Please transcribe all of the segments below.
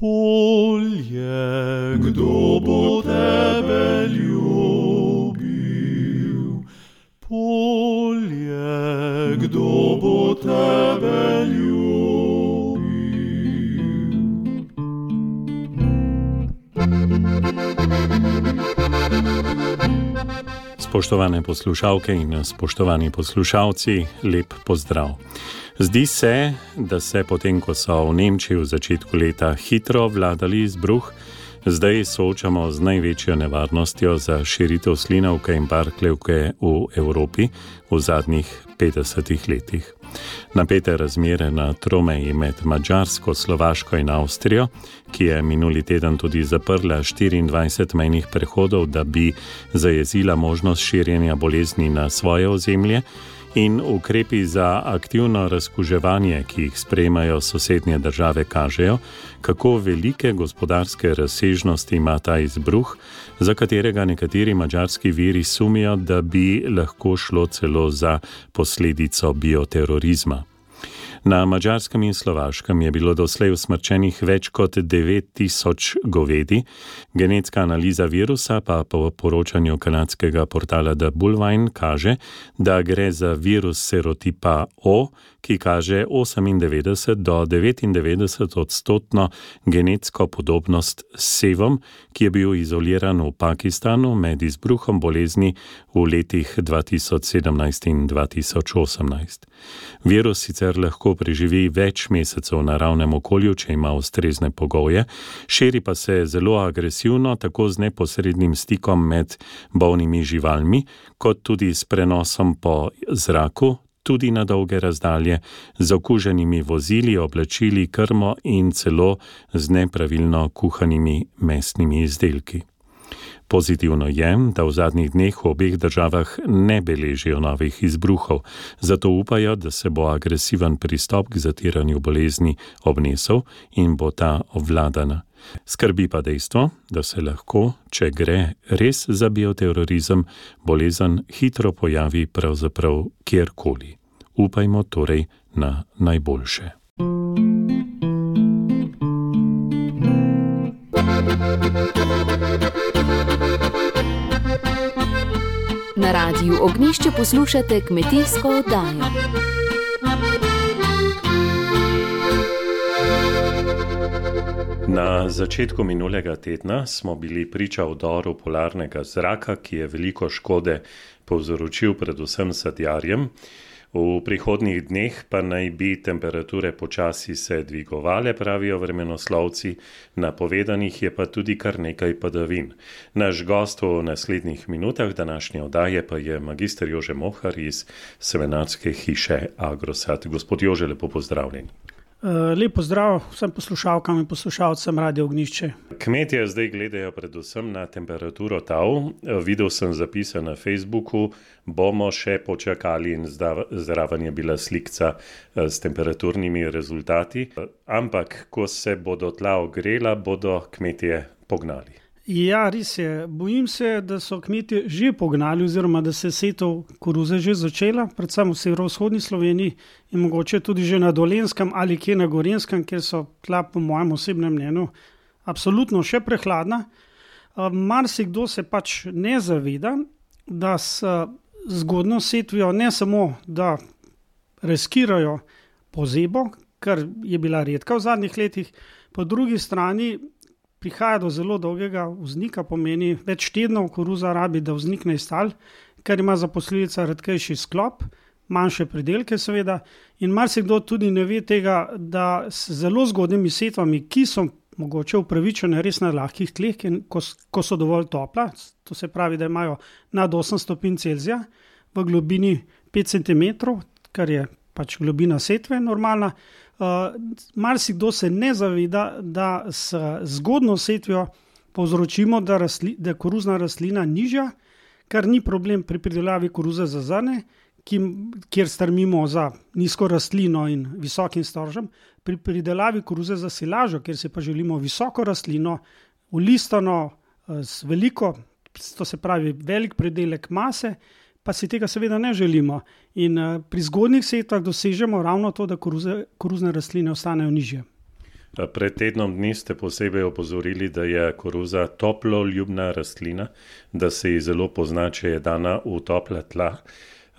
Polje, kdo bo tebe ljubil? Polje, kdo bo tebe ljubil? Spoštovane poslušalke in spoštovani poslušalci, lep pozdrav. Zdi se, da se potem, ko so v Nemčiji v začetku leta hitro vladali izbruh, zdaj soočamo z največjo nevarnostjo za širitev slinavke in parkljevke v Evropi v zadnjih 50 letih. Napete razmere na tromeji med Madžarsko, Slovaško in Avstrijo, ki je minuli teden tudi zaprla 24 mejnih prehodov, da bi zajezila možnost širjenja bolezni na svoje ozemlje, in ukrepi za aktivno razkuževanje, ki jih sprejemajo sosednje države, kažejo, kako velike gospodarske razsežnosti ima ta izbruh, za katerega nekateri madžarski viri sumijo, da bi lahko šlo celo za posledico bioterorizma. Na Madžarskem in Slovaškem je bilo doslej usmrčenih več kot 9000 govedi, genetska analiza virusa pa po poročanju kanadskega portala The Bullvine kaže, da gre za virus serotipa O, ki kaže 98 do 99% genetsko podobnost s sevom, ki je bil izoliran v Pakistanu med izbruhom bolezni v letih 2017 in 2018. Virus sicer lahko preživi več mesecev v naravnem okolju, če ima ustrezne pogoje, širi pa se zelo agresivno, tako z neposrednim stikom med bolnimi živalmi, kot tudi s prenosom po zraku, tudi na dolge razdalje, z okuženimi vozili, oblačili, krmo in celo z nepravilno kuhanimi mesnimi izdelki. Pozitivno je, da v zadnjih dneh v obeh državah ne beležijo novih izbruhov, zato upajo, da se bo agresiven pristop k zatiranju bolezni obnesel in bo ta obvladana. Skrbi pa dejstvo, da se lahko, če gre res za bioterorizem, bolezen hitro pojavi pravzaprav kjerkoli. Upajmo torej na najboljše. Na Radiu Ognjišče poslušate kmetijsko oddajo. Na začetku minulega tedna smo bili priča vdoru polarnega zraka, ki je veliko škode povzročil predvsem sadjarjem. V prihodnjih dneh pa naj bi temperature počasi se dvigovale, pravijo vremenoslovci, napovedanih je pa tudi kar nekaj padavin. Naš gost v naslednjih minutah današnje oddaje pa je magister Jože Mohar iz semenarske hiše Agrosat. Gospod Jože, lepo pozdravljen. Lep pozdrav vsem poslušalkam in poslušalcem Radia Ognjišče. Kmetje zdaj gledajo predvsem na temperaturo tal. Videl sem zapise na Facebooku, bomo še počakali in zraven je bila slikca s temperaturnimi rezultati. Ampak, ko se bodo tla ogrela, bodo kmetje pognali. Ja, res je. Bojim se, da so kmetje že pognali oziroma da se je setev koruze že začela, predvsem v severovzhodni Sloveniji in mogoče tudi že na Dolenjskem ali kje na Gorenjskem, kjer so tla po mojem osebnem mnenju absolutno še prehladna. Marsikdo se pač ne zaveda, da s zgodnjo setvijo ne samo, da riskirajo pozebo, kar je bila redka v zadnjih letih, po drugi strani prihaja do zelo dolgega vznika, pomeni več tednov koruza rabi, da vznikne iz tal, kar ima za posledica redkejši sklop, manjše pridelke seveda, in marsikdo tudi ne ve tega, da s zelo zgodnjimi setvami, ki so mogoče upravičene res na lahkih tleh, ko so dovolj topla, to se pravi, da imajo nad 8 stopinj Celzija v globini 5 cm, kar je pač globina setve normalna. Marsikdo se ne zaveda, da s zgodno setvijo povzročimo, da je koruzna rastlina nižja, kar ni problem pri pridelavi koruze za zrne, kjer strmimo za nizko rastlino in visokim storžem. Pri pridelavi koruze za silažo, kjer se pa želimo visoko rastlino, ulistano z veliko, to se pravi velik pridelek mase, pa si tega seveda ne želimo. In pri zgodnjih setvah dosežemo ravno to, da koruzne rastline ostanejo nižje. Pred tednom dni ste posebej opozorili, da je koruza toploljubna rastlina, da se ji zelo pozna, če je dana v topla tla.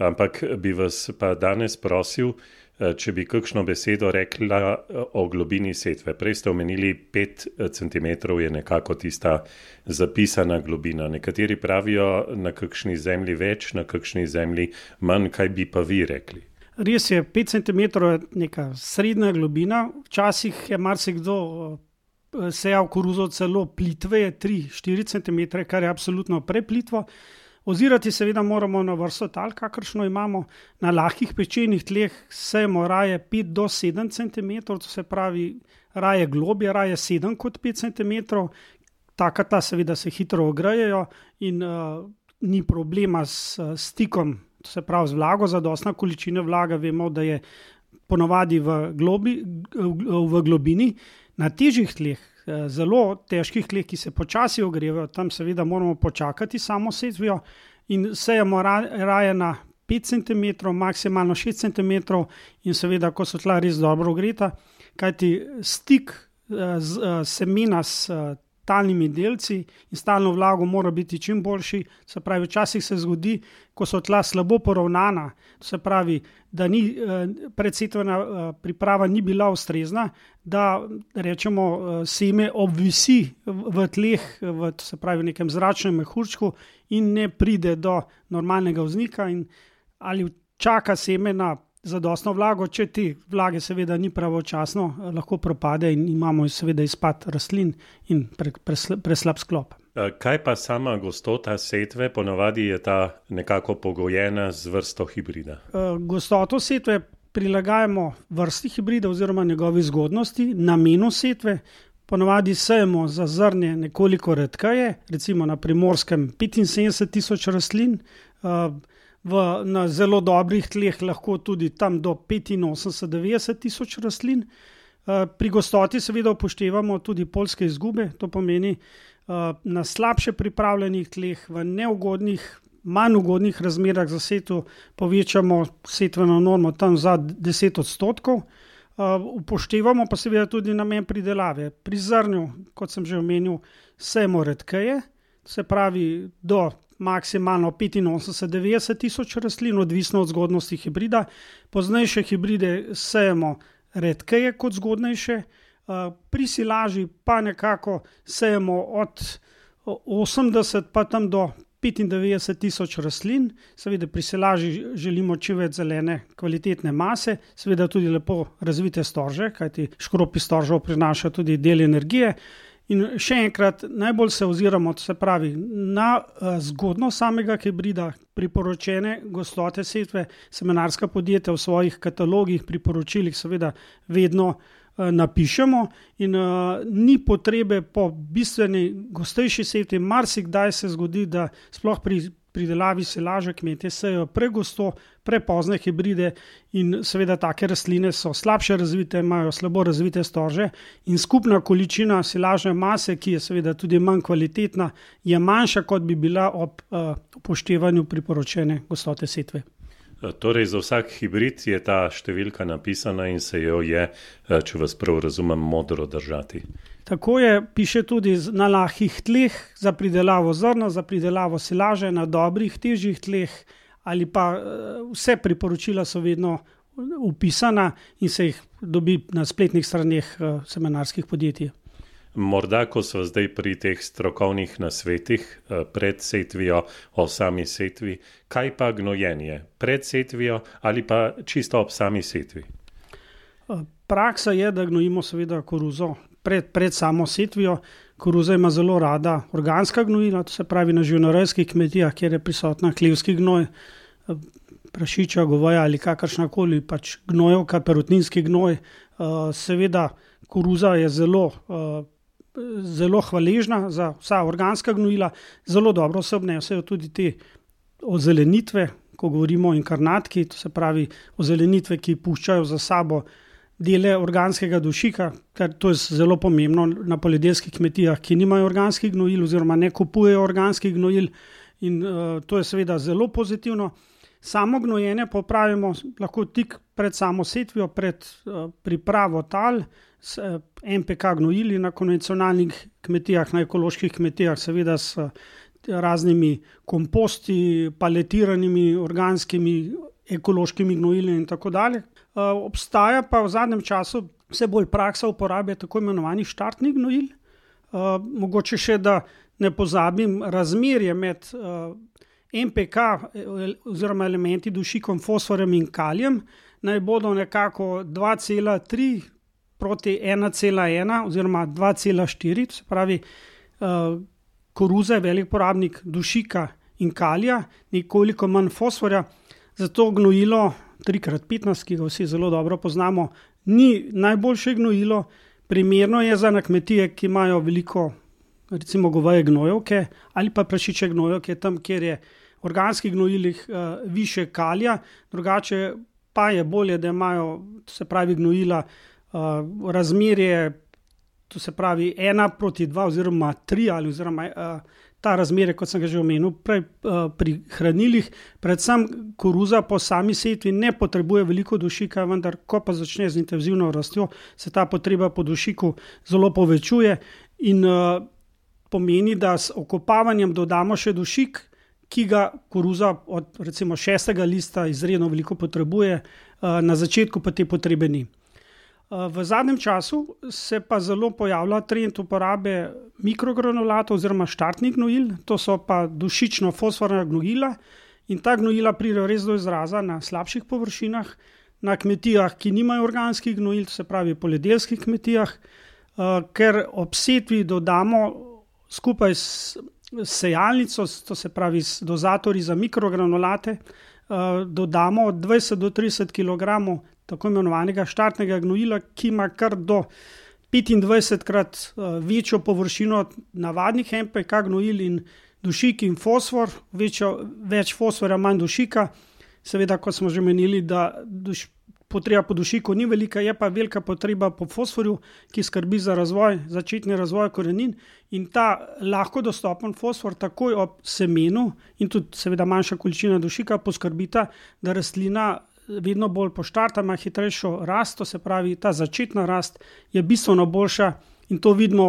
Ampak bi vas pa danes prosil, če bi kakšno besedo rekla o globini setve. Prej ste omenili 5 cm je nekako tista zapisana globina. Nekateri pravijo na kakšni zemlji več, na kakšni zemlji manj. Kaj bi pa vi rekli? Res je, 5 cm je neka srednja globina. Včasih je marsikdo sejal koruzo celo plitveje, 3-4 cm, kar je absolutno preplitvo. Ozirati seveda moramo na vrsto tal, kakršno imamo. Na lahkih pečenih tleh sejemo raje 5 do 7 cm, to se pravi raje globje, raje 7 kot 5 cm. Taka ta seveda se hitro ogrejejo in ni problema s stikom, to se pravi z vlago, zadostna količina vlage, vemo, da je ponavadi v globini. Na težjih tleh, zelo težkih tleh, ki se počasi ogrevajo, tam seveda moramo počakati samo setvijo in sejemo raje na 5 cm, maksimalno 6 cm in seveda, ko so tla res dobro ogreta, kajti stik semena s talnimi delci in stalno vlago mora biti čim boljši. Se pravi, včasih se zgodi, ko so tla slabo poravnana, to se pravi, da predsetvena priprava ni bila ustrezna, da rečemo seme obvisi v tleh, to se pravi v nekem zračnem mehurčku in ne pride do normalnega vznika ali čaka seme na zadostno vlago, če te vlage seveda ni pravočasno, lahko propade in imamo seveda izpad rastlin in preslab sklop. Kaj pa sama gostota setve? Ponavadi je ta nekako pogojena z vrsto hibrida. Gostoto setve prilagajamo vrsti hibrida oziroma njegovi zgodnosti, namenu setve. Ponavadi sejemo za zrnje nekoliko redkeje, recimo na Primorskem 75.000 rastlin, na zelo dobrih tleh lahko tudi tam do 85-90.000 rastlin. Pri gostoti seveda upoštevamo tudi poljske izgube, to pomeni na slabše pripravljenih tleh, v neugodnih, manj ugodnih razmerah za setvo povečamo setveno normo tam za 10%. Upoštevamo pa seveda tudi namen pridelave. Pri zrnju, kot sem že omenil, sejemo redkeje, se pravi do maksimalno 85-90.000 rastlin, odvisno od zgodnosti hibrida. Poznejše hibride sejemo redkeje kot zgodnejše. Pri silaži pa nekako sejemo od 80 pa tam do 95.000 rastlin. Seveda pri silaži želimo čim več zelene kvalitetne mase, seveda tudi lepo razvite storže, kajti škropi storžev prinaša tudi del energije. In še enkrat, najbolj se oziramo, to se pravi, na zgodnost samega hibrida, priporočene gostote setve. Semenarska podjetja v svojih katalogih, priporočilih seveda vedno napišemo in ni potrebe po bistveni gostejši setvi. Marsikdaj se zgodi, da sploh pri pridelavi silaže kmetje sejejo pregosto, prepozne hibride in seveda take rastline so slabše razvite, imajo slabo razvite storže in skupna količina silažne mase, ki je seveda tudi manj kvalitetna, je manjša, kot bi bila ob upoštevanju priporočene gostote setve. Torej, za vsak hibrid je ta številka napisana in se jo je, če vas prav razumem, modro držati. Tako je, piše tudi na lahkih tleh za pridelavo zrna, za pridelavo silaže, na dobrih, težjih tleh ali pa vse priporočila so vedno upisana in se jih dobi na spletnih straneh semenarskih podjetij. Morda, ko so zdaj pri teh strokovnih nasvetih pred setvijo, o sami setvi, kaj pa gnojenje? Pred setvijo ali pa čisto ob sami setvi? Praksa je, da gnojimo seveda koruzo pred samo setvijo. Koruza ima zelo rada organska gnojila, to se pravi na živinorejskih kmetijah, kjer je prisotna hlevski gnoj, prašičja, goveja ali kakršnakoli pač gnojevka, perutninski gnoj. Seveda koruza je zelo hvaležna za vsa organska gnojila, zelo dobro se obnesejo tudi te ozelenitve, ko govorimo o inkarnatki, to se pravi ozelenitve, ki puščajo za sabo dele organskega dušika, ker to je zelo pomembno na poljedelskih kmetijah, ki nimajo organskih gnojil oziroma ne kupujejo organskih gnojil in to je seveda zelo pozitivno. Samo gnojenje pa opravimo lahko tik pred samo setvijo, pred pripravo tal NPK gnojili na konvencionalnih kmetijah, na ekoloških kmetijah, seveda s raznimi komposti, paletiranimi, organskimi, ekološkimi gnojili in tako dalje. Obstaja pa v zadnjem času vse bolj praksa uporabe tako imenovanih štartnih gnojil. Mogoče še, da ne pozabim, razmerje med NPK oziroma elementi dušikom, fosforjem in kalijem naj bodo nekako 2,3 proti 1,1 oziroma 2,4, to se pravi, koruza je velik porabnik dušika in kalija, nekoliko manj fosforja, zato gnojilo 3x15, ki ga vsi zelo dobro poznamo, ni najboljše gnojilo. Primerno je za na kmetije, ki imajo veliko, recimo goveje gnojevke ali pa prašiče gnojevke, tam, kjer je v organskih gnojilih više kalija, drugače pa je bolje, da imajo, to se pravi, gnojila razmerje, to se pravi 1:2 oziroma 3 ali oziroma ta razmerje, kot sem ga že omenil prej, pri hranilih. Predvsem koruza po sami setvi ne potrebuje veliko dušika, vendar ko pa začne z intenzivno rastjo, se ta potreba po dušiku zelo povečuje in pomeni, da s okopavanjem dodamo še dušik, ki ga koruza od recimo 6. lista izredno veliko potrebuje, na začetku pa te potrebe ni. V zadnjem času se pa zelo pojavlja trend uporabe mikrogranulatov oziroma štartnih gnojil, to so pa dušično-fosforna gnojila in ta gnojila pridejo res do izraza na slabših površinah, na kmetijah, ki nimajo organskih gnojil, to se pravi poljedelskih kmetijah, ker ob setvi dodamo skupaj s sejalnico, to se pravi s dozatorji za mikrogranulate, dodamo od 20 do 30 kg tako imenovanega štartnega gnojila, ki ima kar do 25-krat večjo površino od navadnih NPK gnojil in dušik in fosfor, več fosforja, manj dušika. Seveda, kot smo že menili, da potreba po dušiku ni velika, je pa velika potreba po fosforju, ki skrbi za razvoj, začetni razvoj korenin, in ta lahko dostopen fosfor takoj ob semenu in tudi seveda manjša količina dušika poskrbita, da rastlina vedno bolj poštarta, ima hitrejšo rast, to se pravi, ta začetna rast je bistveno boljša in to vidimo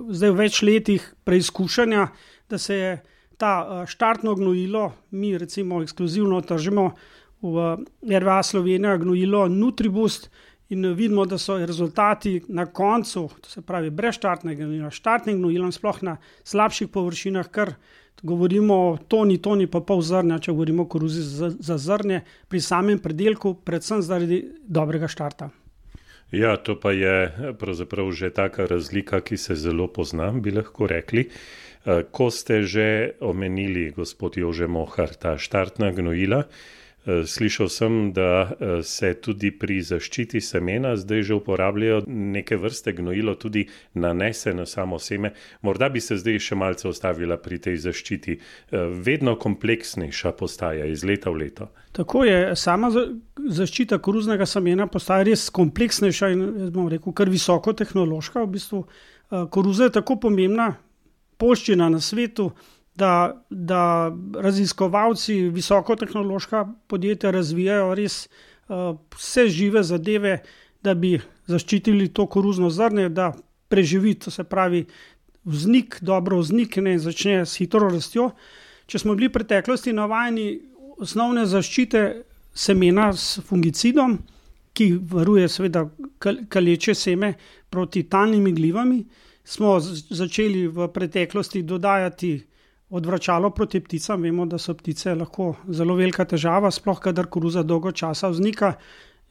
zdaj v več letih preizkušanja, da se je ta štartno gnojilo, mi recimo ekskluzivno tržimo v RWA Slovenija gnojilo Nutriboost in vidimo, da so rezultati na koncu, to se pravi brez štartnega gnojila, štartnim gnojilom, sploh na slabših površinah, kar govorimo o toni pa pol zrnja, če govorimo o koruzi za zrnje, pri samem predelku, predvsem zaradi dobrega štarta. Ja, to pa je pravzaprav že taka razlika, ki se zelo pozna, bi lahko rekli. Ko ste že omenili, gospod Jože Mohar, ta štartna gnojila, slišal sem, da se tudi pri zaščiti semena zdaj že uporabljajo neke vrste gnojilo, tudi nanese na samo seme. Morda bi se zdaj še malce ostavila pri tej zaščiti. Vedno kompleksnejša postaja iz leta v leto. Tako je, sama zaščita koruznega semena postaja res kompleksnejša in, bom rekel, kar visoko tehnološka. V bistvu koruza je tako pomembna poljščina na svetu, da raziskovalci, visokotehnološka podjetja razvijajo res vse žive zadeve, da bi zaščitili to koruzno zrnje, da preživi, to se pravi, vznik, dobro vznikne in začne s hitro rastjo. Če smo bili v preteklosti navajeni osnovne zaščite semena s fungicidom, ki varuje seveda kaleče seme proti talnim igljivami, smo začeli v preteklosti dodajati odvračalo proti pticam. Vemo, da so ptice lahko zelo velika težava, sploh kadar koruza dolgo časa vznika.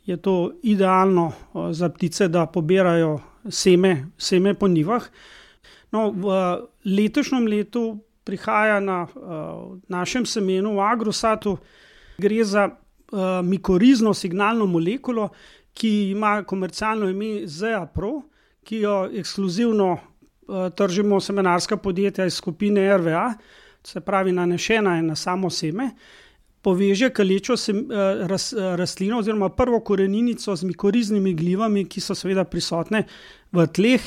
Je to idealno za ptice, da pobirajo seme po njivah. No, v letošnjem letu prihaja na našem semenu v Agrosatu, gre za mikorizno signalno molekulo, ki ima komercialno ime ZEA Pro, ki jo ekskluzivno tržimo semenarska podjetja iz skupine RWA, se pravi nanešena je na samo seme, poveže kalečo rastlino oziroma prvo koreninico z mikoriznimi gljivami, ki so seveda prisotne v tleh,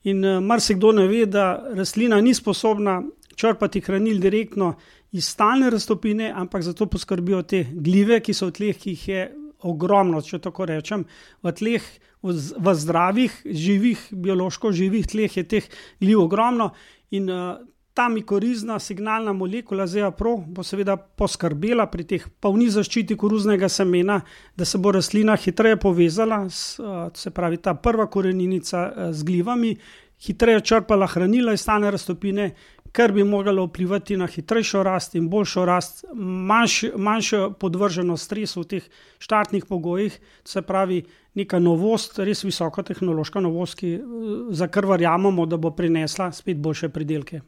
in marsikdo ne ve, da rastlina ni sposobna črpati hranil direktno iz stalne raztopine, ampak zato poskrbijo te gljive, ki so v tleh, ki jih je ogromno, če tako rečem. V tleh v zdravih, živih, biološko živih tleh je teh gliv ogromno in ta mikorizna signalna molekula ZEA-PRO bo seveda poskrbela pri teh polni zaščiti koruznega semena, da se bo rastlina hitreje povezala, se pravi ta prva korenica z glivami, hitreje črpala hranila iz talne raztopine, kar bi moglo vplivati na hitrejšo rast in boljšo rast, manjšo podvrženost stresu v teh štartnih pogojih, se pravi neka novost, res visokotehnološka novost, za kar verjamemo, da bo prinesla spet boljše pridelke.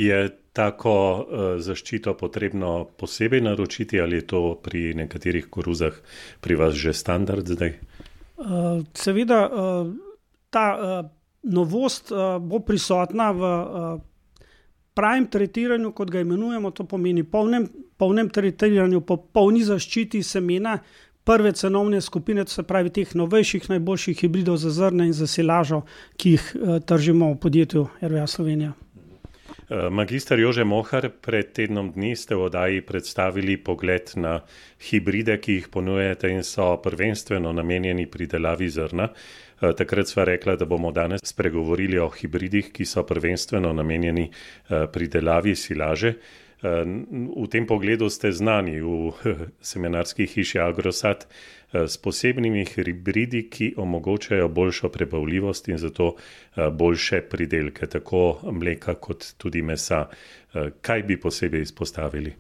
Je tako zaščito potrebno posebej naročiti ali je to pri nekaterih koruzah pri vas že standard zdaj? Seveda ta novost bo prisotna v pravem tretiranju, kot ga imenujemo, to pomeni polnem tretiranju, po polni zaščiti semena prve cenovne skupine, to se pravi teh novejših, najboljših hibridov za zrne in za silažo, ki jih tržimo v podjetju RWA Slovenija. Magister Jože Mohar, pred tednom dni ste v oddaji predstavili pogled na hibride, ki jih ponujate in so prvenstveno namenjeni pridelavi zrna. Takrat sva rekla, da bomo danes spregovorili o hibridih, ki so prvenstveno namenjeni pridelavi silaže. V tem pogledu ste znani v semenarski hiši Agrosat s posebnimi hibridi, ki omogočajo boljšo prebavljivost in zato boljše pridelke, tako mleka kot tudi mesa. Kaj bi posebej izpostavili?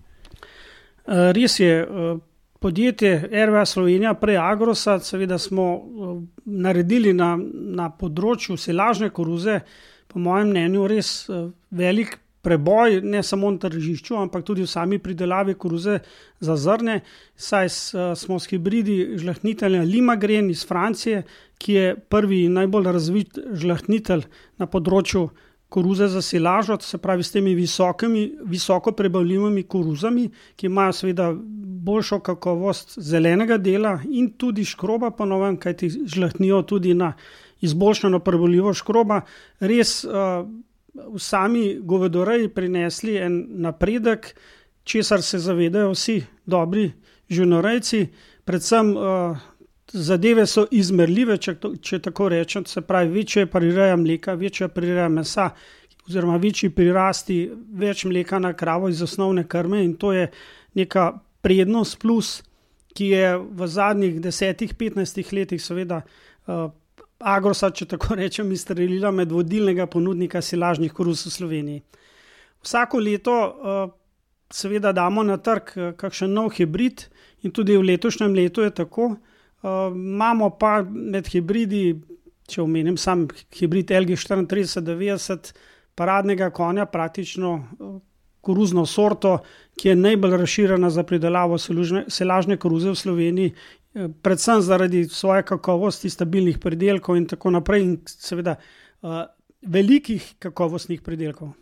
Res je, podjetje RWA Slovenija, prej Agrosat, seveda smo naredili na področju silažne koruze, po mojem mnenju, res velik preboj, ne samo na tržišču, ampak tudi v sami pridelavi koruze za zrne, saj smo s hibridi žlahtnitelja Limagren iz Francije, ki je prvi in najbolj razvit žlahtnitelj na področju koruze za silažo, se pravi s temi visoko prebavljivimi koruzami, ki imajo seveda boljšo kakovost zelenega dela in tudi škroba po novem, kajti žlahtnijo tudi na izboljšano prebavljivost škroba. Res v sami govedoreji prinesli en napredek, česar se zavedajo vsi dobri živinorejci, predvsem zadeve so izmerljive, če tako rečem, se pravi večja prireja mleka, večja prireja mesa oziroma večji prirasti, več mleka na kravo iz osnovne krme in to je neka prednost plus, ki je v zadnjih 10-15 letih seveda Agrosat, če tako rečem, izstrelila med vodilnega ponudnika silažnih koruz v Sloveniji. Vsako leto seveda damo na trg kakšen nov hibrid in tudi v letošnjem letu je tako. Imamo pa med hibridi, če omenim sam hibrid LG 3490, paradnega konja, praktično koruzno sorto, ki je najbolj razširjena za pridelavo silažne koruze v Sloveniji, predvsem zaradi svoje kakovosti, stabilnih pridelkov in tako naprej in seveda velikih kakovostnih pridelkov.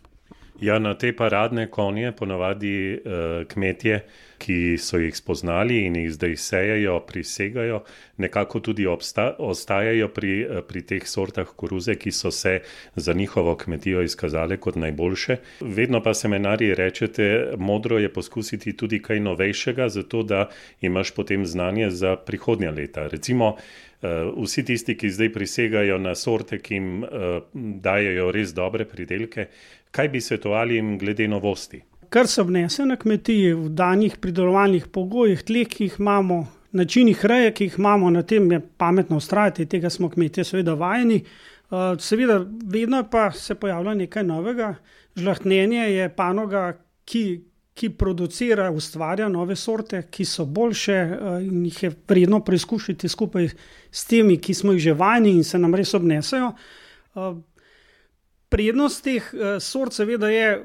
Ja, na te paradne konje ponavadi kmetje, ki so jih spoznali in jih zdaj sejejo, prisegajo, nekako tudi ostajajo pri teh sortah koruze, ki so se za njihovo kmetijo izkazale kot najboljše. Vedno pa semenarji rečete, modro je poskusiti tudi kaj novejšega, zato da imaš potem znanje za prihodnja leta. Recimo, vsi tisti, ki zdaj prisegajo na sorte, ki jim dajejo res dobre pridelke, kaj bi svetovali jim glede novosti? Kar se obnese na kmetiji v danih pridelovalnih pogojih, tleh, ki jih imamo, načinih reje, ki jih imamo, na tem je pametno vztrajati, tega smo kmetje seveda vajeni. Seveda vedno pa se pojavlja nekaj novega. Žlahtnjenje je panoga, ki producira, ustvarja nove sorte, ki so boljše in jih je vredno preizkušati skupaj s temi, ki smo jih že vajeni in se nam res obnesejo. Prednost teh sort seveda je,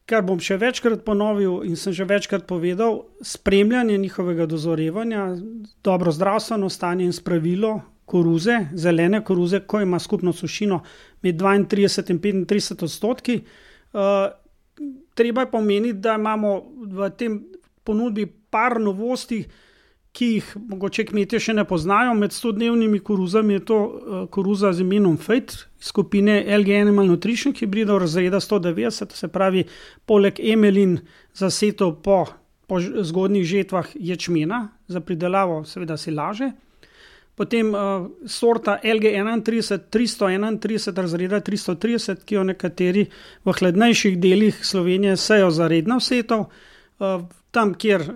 kar bom še večkrat ponovil in sem že večkrat povedal, spremljanje njihovega dozorevanja, dobro zdravstveno stanje in spravilo koruze, zelene koruze, ko ima skupno sušino med 32 in 35%. Treba je pomeniti, da imamo v tem ponudbi par novosti, ki jih mogoče kmetje še ne poznajo. Med 100-dnevnimi koruzami je to koruza z imenom Fate, skupine LG Animal Nutrition hibridov razreda 190, se pravi poleg emelin za setev po zgodnjih žetvah ječmena za pridelavo seveda silaže. Potem sorta LG31 331 razreda 330, ki jo nekateri v hladnejših delih Slovenije sejo za redno setov. Tam, kjer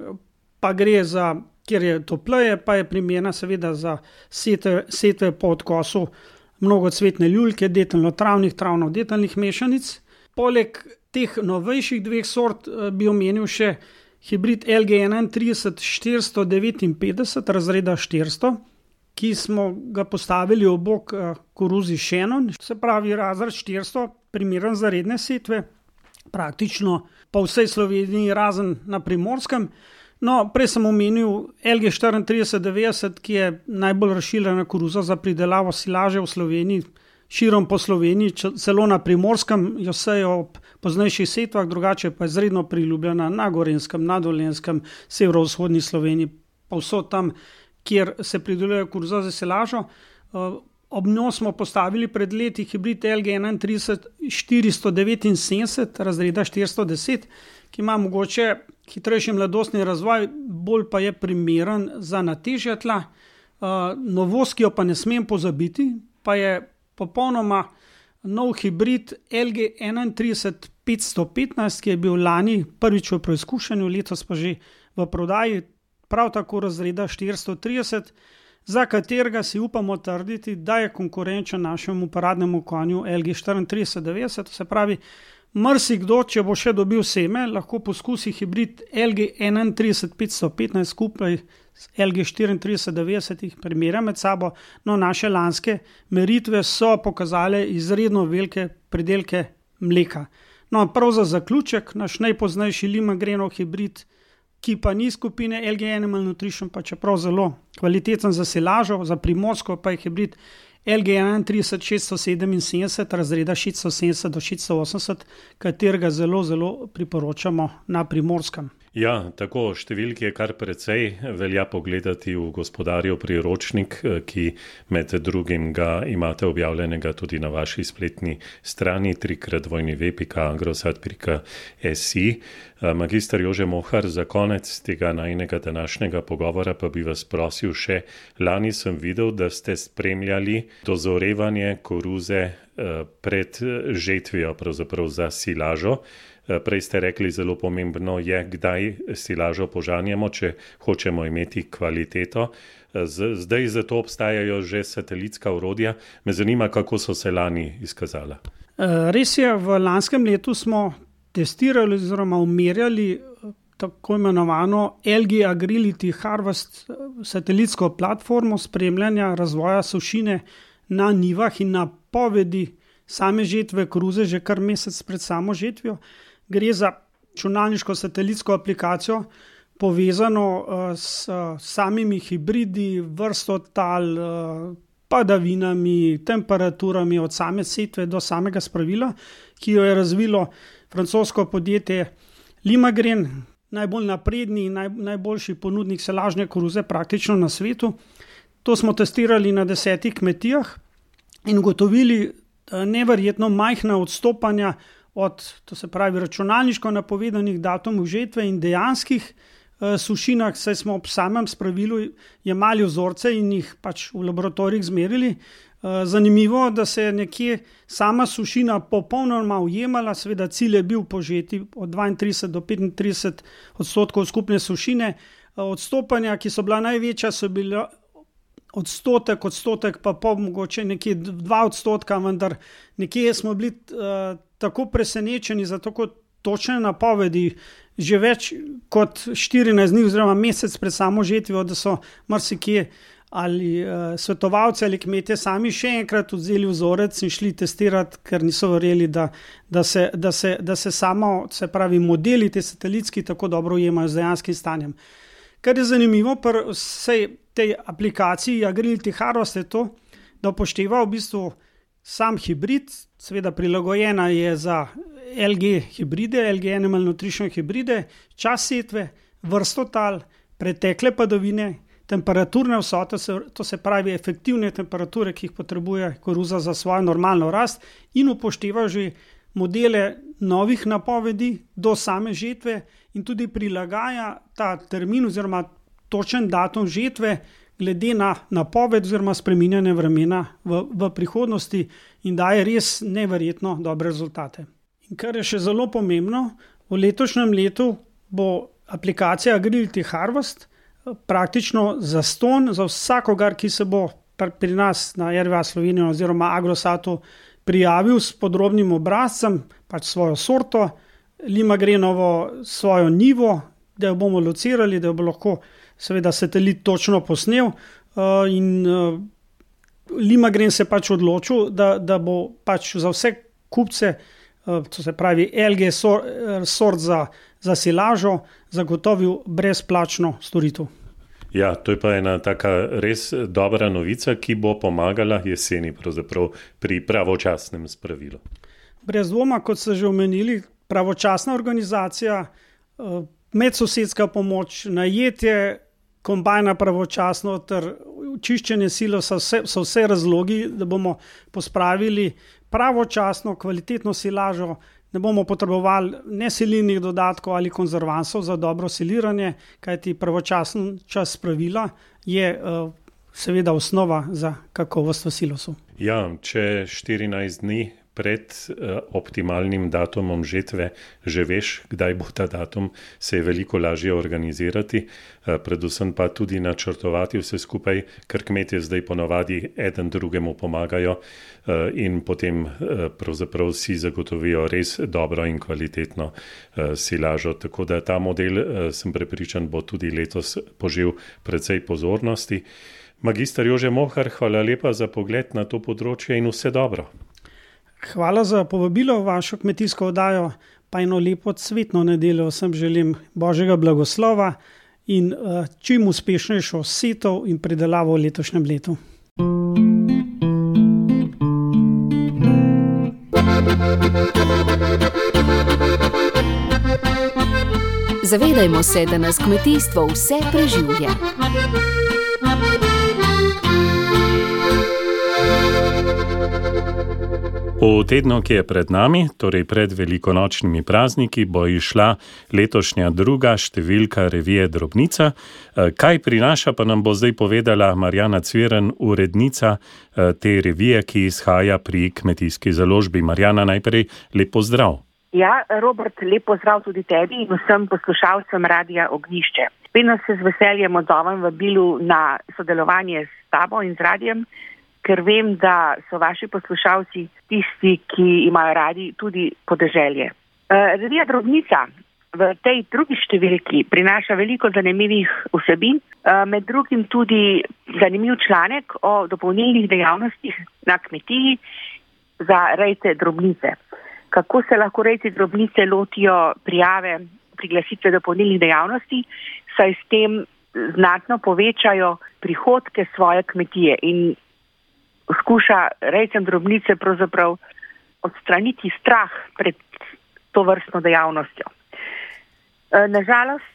pa gre za, kjer je topleje, pa je primerna seveda za setve po odkosu mnogocvetne ljuljke, detelno-travnih, travno-detelnih mešanic. Poleg teh novejših dveh sort bi omenil še hibrid LG31 459 razreda 400, ki smo ga postavili ob bok koruzi Shannon, se pravi razred 400, primeren za redne setve, praktično po vsej Sloveniji razen na Primorskem. No, prej sem omenil LG 3490, ki je najbolj razširjena koruza za pridelavo silaže v Sloveniji, širom po Sloveniji, celo na Primorskem jo sejo ob poznejših setvah, drugače pa je izredno priljubljena na Gorenjskem, na Dolenjskem, severovzhodni Sloveniji, povsod tam, kjer se prideluje koruza za silažo. Ob njo smo postavili pred leti hibrid LG31 479 razreda 410, ki ima mogoče hitrejši mladostni razvoj, bolj pa je primeren za natežja tla. Novost, ki jo pa ne smem pozabiti, pa je popolnoma nov hibrid LG31 515, ki je bil lani prvič v preizkušanju, letos pa že v prodaji, prav tako razreda 430, za katerega si upamo trditi, da je konkurenčen našemu paradnemu konju LG 3490, se pravi, marsikdo, če bo še dobil seme, lahko poskusi hibrid LG 31 515 skupaj s LG 3490, jih primerja med sabo. No, naše lanske meritve so pokazale izredno velike pridelke mleka. No, prav za zaključek, naš najpoznejši Limagrenov hibrid, ki pa ni skupine LG Animal Nutrition, pa čeprav zelo kvaliteten za silažo, za Primorsko pa je hibrid LG 31 677 razreda 670 do 680, katerega zelo, zelo priporočamo na Primorskem. Ja, tako številk je kar precej, velja pogledati v Gospodarjev priročnik, ki med drugim ga imate objavljenega tudi na vaši spletni strani www.agrosat.si. Magister Jože Mohar, za konec tega najinega današnjega pogovora pa bi vas prosil še, lani sem videl, da ste spremljali dozorevanje koruze pred žetvijo, pravzaprav za silažo. Prej ste rekli, zelo pomembno je, kdaj silažo požanjemo, če hočemo imeti kvaliteto. Zdaj za to obstajajo že satelitska orodja. Me zanima, kako so se lani izkazala. Res je, v lanskem letu smo testirali oziroma umerjali tako imenovano LG Agrility Harvest satelitsko platformo spremljanja razvoja sušine na njivah in napovedi same žetve koruze že kar mesec pred samo žetvijo. Gre za računalniško satelitsko aplikacijo, povezano s samimi hibridi, vrsto tal, padavinami, temperaturami od same setve do samega spravila, ki jo je razvilo francosko podjetje Limagren, najbolj napredni in najboljši ponudnik silažne koruze praktično na svetu. To smo testirali na 10 kmetijah in ugotovili neverjetno majhna odstopanja od, to se pravi, računalniško napovedanih datumov žetve in dejanskih sušinah, saj smo ob samem spravilu jemali vzorce in jih pač v laboratorijih zmerili. Zanimivo, da se je nekje sama sušina popolnoma ujemala, seveda cilj je bil požeti od 32 do 35 odstotkov skupne sušine. Odstopanja, ki so bila največja, so bila odstotek pa mogoče nekje 2 odstotka, vendar nekje smo bili tako presenečeni za tako točne napovedi že več kot 14 dni oziroma mesec pred samo žetvijo, da so marsikje ali svetovalci ali kmetje sami še enkrat vzeli vzorec in šli testirati, ker niso verjeli, da se samo, se pravi, modeli te satelitski tako dobro ujemajo z dejanskim stanjem. Kar je zanimivo pri vsej tej aplikaciji Agrility Harvest je to, da upošteva v bistvu sam hibrid, seveda prilagojena je za LG hibride, LG Animal Nutrition hibride, čas setve, vrsto tal, pretekle padavine, temperaturne vsote, to se pravi efektivne temperature, ki jih potrebuje koruza za svojo normalno rast, in upošteva že modele novih napovedi do same žetve in tudi prilagaja ta termin oziroma točen datum žetve glede na napoved oziroma spreminjanje vremena v prihodnosti in daje res neverjetno dobre rezultate. In kar je še zelo pomembno, v letošnjem letu bo aplikacija Agility Harvest praktično zastonj za vsakogar, ki se bo pri nas na RVA Slovenijo oziroma Agrosatu prijavil s podrobnim obrazcem, pač svojo sorto, Limagrenovo svojo njivo, da jo bomo locirali, da jo bo lahko seveda satelit točno posnel in Limagren se pač odločil, da bo pač za vse kupce, to se pravi LG sort za silažo, zagotovil brezplačno storitev. Ja, to je pa ena taka res dobra novica, ki bo pomagala jeseni pravzaprav pri pravočasnem spravilu. Brez dvoma, kot ste že omenili, pravočasna organizacija, medsosedska pomoč, najetje kombajna pravočasno ter čiščenje silosa so vse razlogi, da bomo pospravili pravočasno, kvalitetno silažo, ne bomo potrebovali ne sililnih dodatkov ali konzervansov za dobro siliranje, kajti pravočasen čas spravila je seveda osnova za kakovost v silosu. Ja, če 14 dni pred optimalnim datumom žetve že veš, kdaj bo ta datum, se je veliko lažje organizirati, predvsem pa tudi načrtovati vse skupaj, ker kmetje zdaj ponavadi eden drugemu pomagajo in potem pravzaprav si zagotovijo res dobro in kvalitetno silažo. Tako da ta model, sem prepričan, bo tudi letos požel precej pozornosti. Magister Jože Mohar, hvala lepa za pogled na to področje in vse dobro. Hvala za povabilo v vašo kmetijsko oddajo, pa eno lepo cvetno nedeljo vsem želim Božjega blagoslova in čim uspešnejšo setov in pridelavo v letošnjem letu. Zavedajmo se, da nas kmetijstvo vse preživlja. V tednu, ki je pred nami, torej pred velikonočnimi prazniki, bo išla letošnja druga številka revije Drobnica. Kaj prinaša, pa nam bo zdaj povedala Marjana Cviren, urednica te revije, ki izhaja pri Kmetijski založbi. Marjana, najprej lep pozdrav. Ja, Robert, lep pozdrav tudi tebi in vsem poslušalcem Radia Ognjišče. Vedno se z veseljem odzovem vabilu na sodelovanje s tabo in z radijem, ker vem, da so vaši poslušalci tisti, ki imajo radi tudi podeželje. Revija Drobnica v tej drugi številki prinaša veliko zanimivih vsebin, med drugim tudi zanimiv članek o dopolnilnih dejavnostih na kmetiji za rejce drobnice. Kako se lahko rejci drobnice lotijo prijave priglasitve dopolnilnih dejavnosti, saj s tem znatno povečajo prihodke svoje kmetije in skuša rejcem drobnice pravzaprav odstraniti strah pred to vrstno dejavnostjo. Nažalost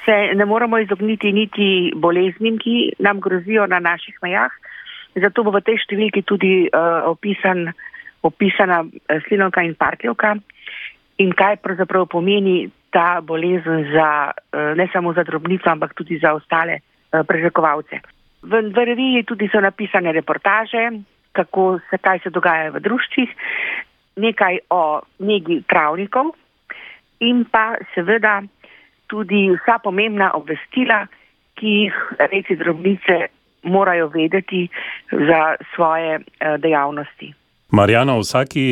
se ne moremo izogniti niti boleznim, ki nam grozijo na naših mejah, zato bo v tej številki tudi opisana slinavka in parkljivka in kaj pravzaprav pomeni ta bolezen ne samo za drobnico, ampak tudi za ostale prežakovalce. V reviji tudi so napisane reportaže, kaj se dogaja v druščih, nekaj o negi travnikov in pa seveda tudi vsa pomembna obvestila, ki jih rejci drobnice morajo vedeti za svoje dejavnosti. Marjana, v vsaki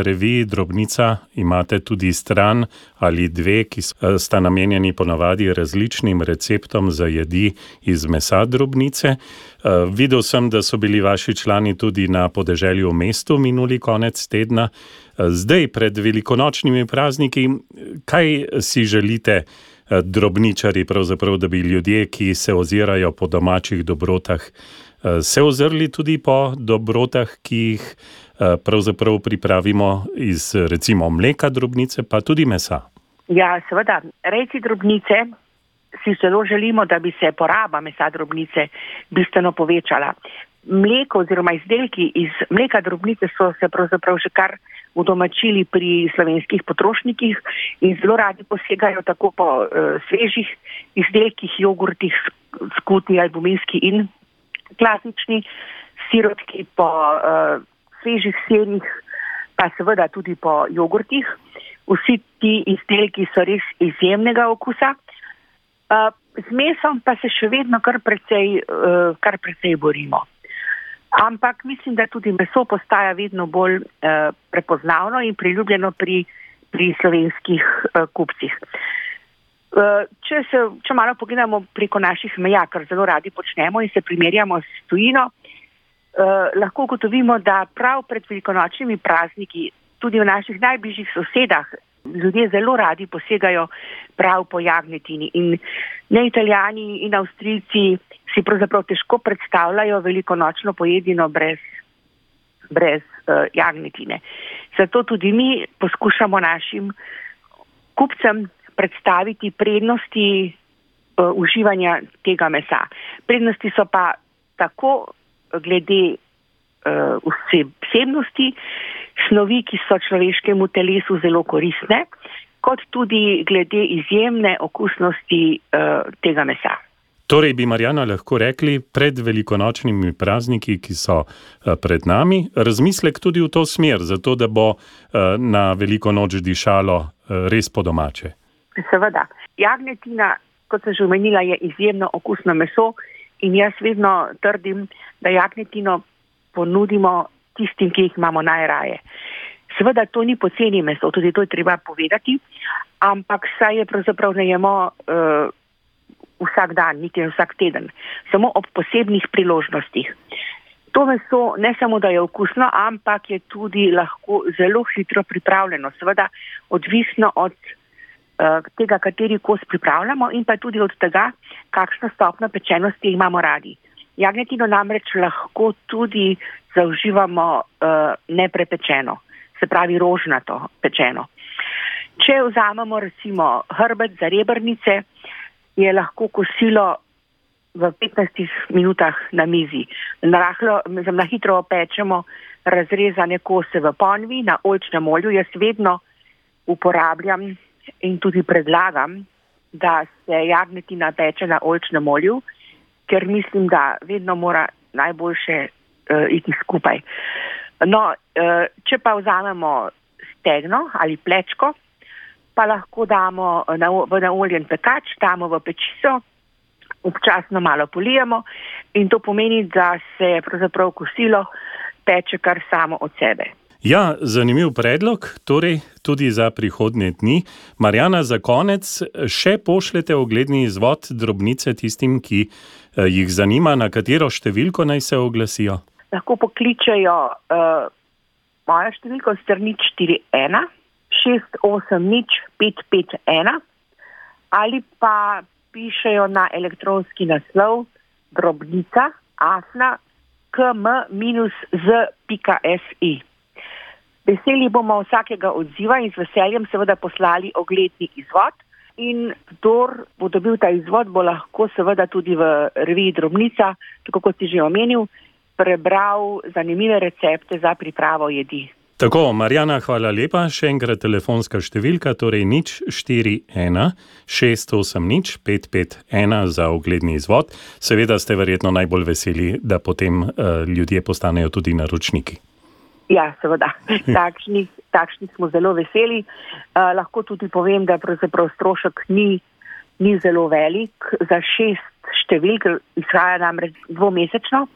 reviji Drobnica imate tudi stran ali dve, ki sta namenjeni ponavadi različnim receptom za jedi iz mesa drobnice. Videl sem, da so bili vaši člani tudi na podeželju v mestu minuli konec tedna. Zdaj, pred velikonočnimi prazniki, kaj si želite drobničari, pravzaprav, da bi ljudje, ki se ozirajo po domačih dobrotah, se ozrli tudi po dobrotah, ki jih pravzaprav pripravimo iz recimo mleka drobnice, pa tudi mesa? Ja, seveda. Rejci drobnice si zelo želimo, da bi se poraba mesa drobnice bistveno povečala. Mleko oziroma izdelki iz mleka drobnice so se pravzaprav že kar udomačili pri slovenskih potrošnikih in zelo radi posegajo tako po svežih izdelkih, jogurtih, skutni, albuminski in klasični sirotki, po svežih sirih, pa seveda tudi po jogurtih. Vsi ti izdelki so res izjemnega okusa. Z mesom pa se še vedno kar precej borimo. Ampak mislim, da tudi meso postaja vedno bolj prepoznavno in priljubljeno pri slovenskih kupcih. Če malo pogledamo preko naših meja, kar zelo radi počnemo in se primerjamo s tujino, lahko ugotovimo, da prav pred velikonočnimi prazniki tudi v naših najbližjih sosedah ljudje zelo radi posegajo prav po jagnjetini. In ne Italijani in Avstrijci si pravzaprav težko predstavljajo velikonočno pojedino brez jagnjetine. Zato tudi mi poskušamo našim kupcem predstaviti prednosti uživanja tega mesa. Prednosti so pa tako glede vsebnosti, snovi, ki so človeškemu telesu zelo koristne, kot tudi glede izjemne okusnosti tega mesa. Torej bi, Marjana, lahko rekli pred velikonočnimi prazniki, ki so pred nami, razmislek tudi v to smer, zato da bo na veliko noč dišalo res po domače. Seveda. Jagnjetina, kot sem že omenila, je izjemno okusno meso in jaz vedno trdim, da jagnjetino ponudimo tistim, ki jih imamo najraje. Seveda to ni poceni meso, tudi to je treba povedati, ampak saj je pravzaprav ne jemo vsak dan, niti vsak teden, samo ob posebnih priložnostih. To meso ne samo, da je okusno, ampak je tudi lahko zelo hitro pripravljeno. Seveda odvisno od tega, kateri kos pripravljamo in pa tudi od tega, kakšno stopnjo pečenosti imamo radi. Jagnjetino namreč lahko tudi zauživamo neprepečeno, se pravi rožnato pečeno. Če vzamemo recimo hrbet za rebrnice, je lahko kosilo v 15 minutah na mizi. Na hitro opečemo razrezane kose v ponvi na oljčnem olju. Jaz vedno uporabljam in tudi predlagam, da se jagnjetina peče na oljčnem olju, ker mislim, da vedno mora najboljše iti skupaj. No, če pa vzamemo stegno ali plečko, pa lahko damo v naoljen pekač, damo v pečico, občasno malo polijemo in to pomeni, da se pravzaprav kosilo peče kar samo od sebe. Ja, zanimiv predlog, torej tudi za prihodnje dni. Marjana, za konec še pošljete ogledni izvod drobnice tistim, ki jih zanima, na katero številko naj se oglasijo? Lahko pokličejo mojo številko strani 41 680 551 ali pa pišejo na elektronski naslov drobnica@km-z.si. Veseli bomo vsakega odziva in z veseljem seveda poslali ogledni izvod in kdor bo dobil ta izvod, bo lahko seveda tudi v reviji Drobnica, tako kot si že omenil, prebral zanimive recepte za pripravo jedi. Tako, Marjana, hvala lepa. Še enkrat telefonska številka, torej 041 680 551 za ogledni izvod. Seveda ste verjetno najbolj veseli, da potem ljudje postanejo tudi naročniki. Ja, seveda. Takšnih smo zelo veseli. Lahko tudi povem, da pravzaprav strošek ni zelo velik. Za 6 številk izhaja namreč dvomesečno.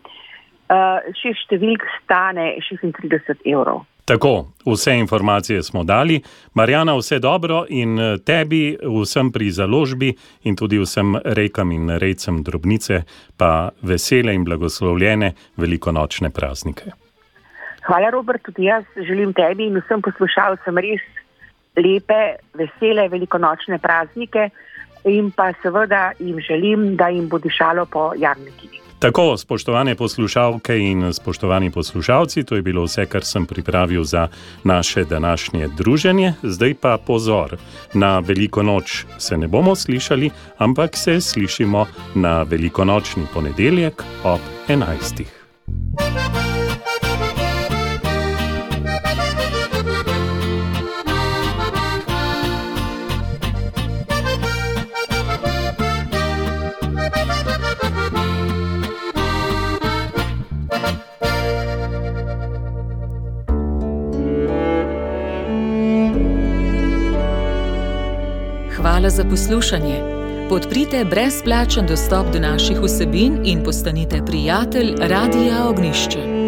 6 številk stane 36 €. Tako, vse informacije smo dali. Marjana, vse dobro in tebi, vsem pri založbi in tudi vsem rejkam in rejcem Drobnice pa vesele in blagoslovljene velikonočne praznike. Hvala, Robert, tudi jaz želim tebi in vsem poslušalcem res lepe, vesele velikonočne praznike in pa seveda jim želim, da jim bo dišalo po jagnjetini. Tako, spoštovane poslušalke in spoštovani poslušalci, to je bilo vse, kar sem pripravil za naše današnje druženje. Zdaj pa pozor, na Veliko noč se ne bomo slišali, ampak se slišimo na velikonočni ponedeljek ob 11. hvala za poslušanje. Podprite brezplačen dostop do naših vsebin in postanite prijatelj Radia Ognišče.